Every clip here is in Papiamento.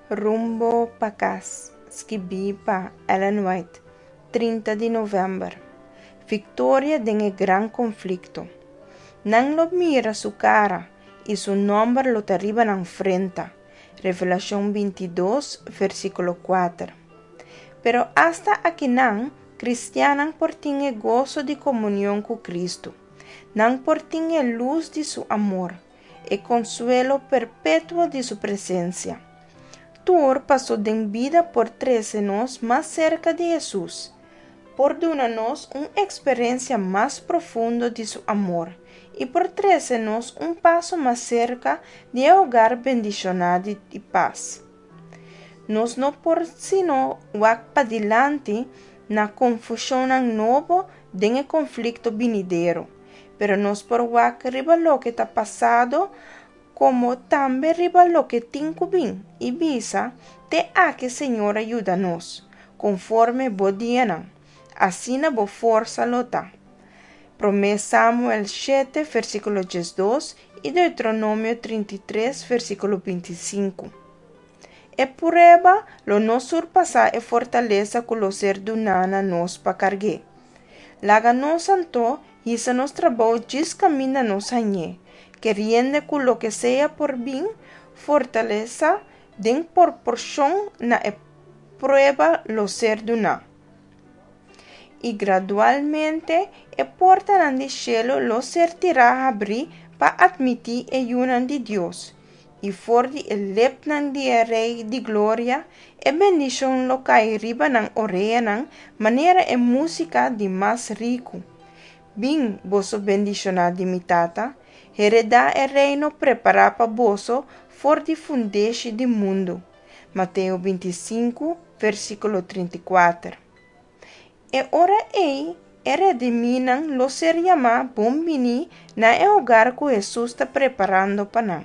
Rumbo pa kas, skibí pa Ellen White, 30 di novèmber. Viktoria den e gran konflikto. Nan lo mira su kara, i su nòmber lo ta riba nan frenta. Revelashon 22, versíkulo 4. Pero asta akinan, kristiannan por tin e goso di komunion ku Kristu. Nan por tin e lus di su amor, e konsuelo perpetuo di su presensia. Tur paso den bida por trese nos mas serka di Hesus, por duna nos un eksperensia mas profundo di su amor i por trese nos un paso mas serka di e hogar bendishoná di pas. Nos no por sino wak padilanti na konfushonnan nobo den e konflikto binidero, pero nos por wak riba loke ta pasado komo tambe riba loke tin ku bin i bisa, Te aki Señor a yuda nos, konforme bo dianan, asina bo forsa lo ta. Promé Samuel 7, versíkulo 12 i Deuteronomio 33, versíkulo 25. E prueba lo no surpasá e fortalesa ku lo ser duná na nos pa karg'é. Laga nos anto hisa nos trabou djis kaminda nos hañ'é, keriendo ku loke sea por bin, fortalesa den proporshon na e prueba lo ser duná. I gradualmente e portanan di shelu lo ser tirá habrí pa atmití e yunan di Dios, i for di e lepnan di e Rei di Gloria e bendishon lo kai riba nan oreanan manera e músika di mas riku. Bin, boso bendishoná di mi Tata, heredá e reino prepará pa boso for di fundeshi di mundu. Mateo 25, versíkulo 34. E ora ei, e redimínan lo ser yamá bon biní na e hogar ku Hesus ta preparando pa nan.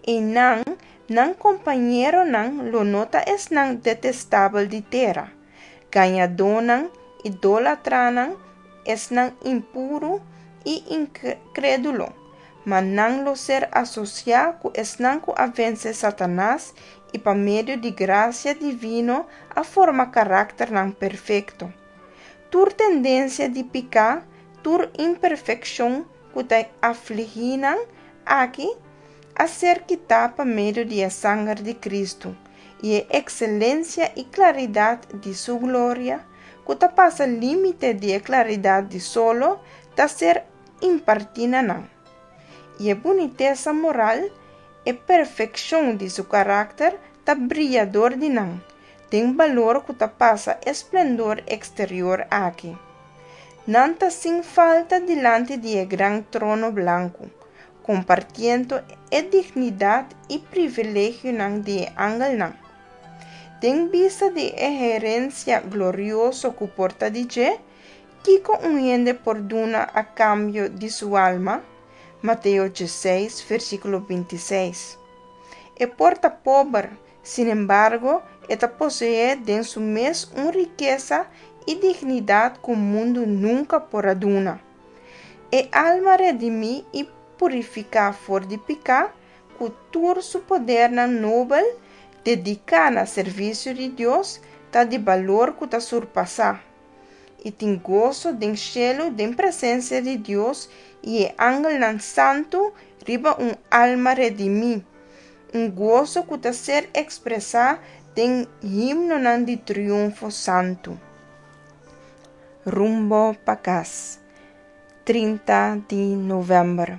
Einan, nan kompañeronan lo no ta esnan detestabel di tera, gañadónan, idólatranan, esnan impuru i inkrédulo, ma nan lo ser asosiá ku esnan ku a vense Satanas i pa medio di grasia divino a forma karakternan perfekto. Tur tendensia di piká, tur imperfekshon ku ta afligí nan aki, a ser kitá pa medio di e sanger di Kristu i e ekselensia i klaridat di su gloria, ku ta pasa límite di e klaridat di solo, ta ser impartí na nan. I e bunitesa moral, e perfekshon di su karakter ta bria dor di nan, den balor ku ta pasa e splendor eksterior aki. Nan ta sin falta dilanti di e gran trono blanku, kompartiendo e dignidat i privilegionan di e angelnan. Den bista di e herensia glorioso ku por ta di dje, kiko un hende por duna a kambio di su alma? Mateo 16, versíkulo 26. E por ta pober, sinembargo, e ta poseé den su mes un rikesa i dignidat ku mundu nunka por a duna. E alma redimí i purifiká for di piká, ku tur su podernan nobel dediká na servisio di Dios, ta di balor ku ta surpasá i tin goso den shelu den presensia di Dios i e angelnan santu riba un alma redimí, un goso ku ta ser ekspresá den himnonan di triunfo santu. Rumbo pa kas, 30 di novèmber.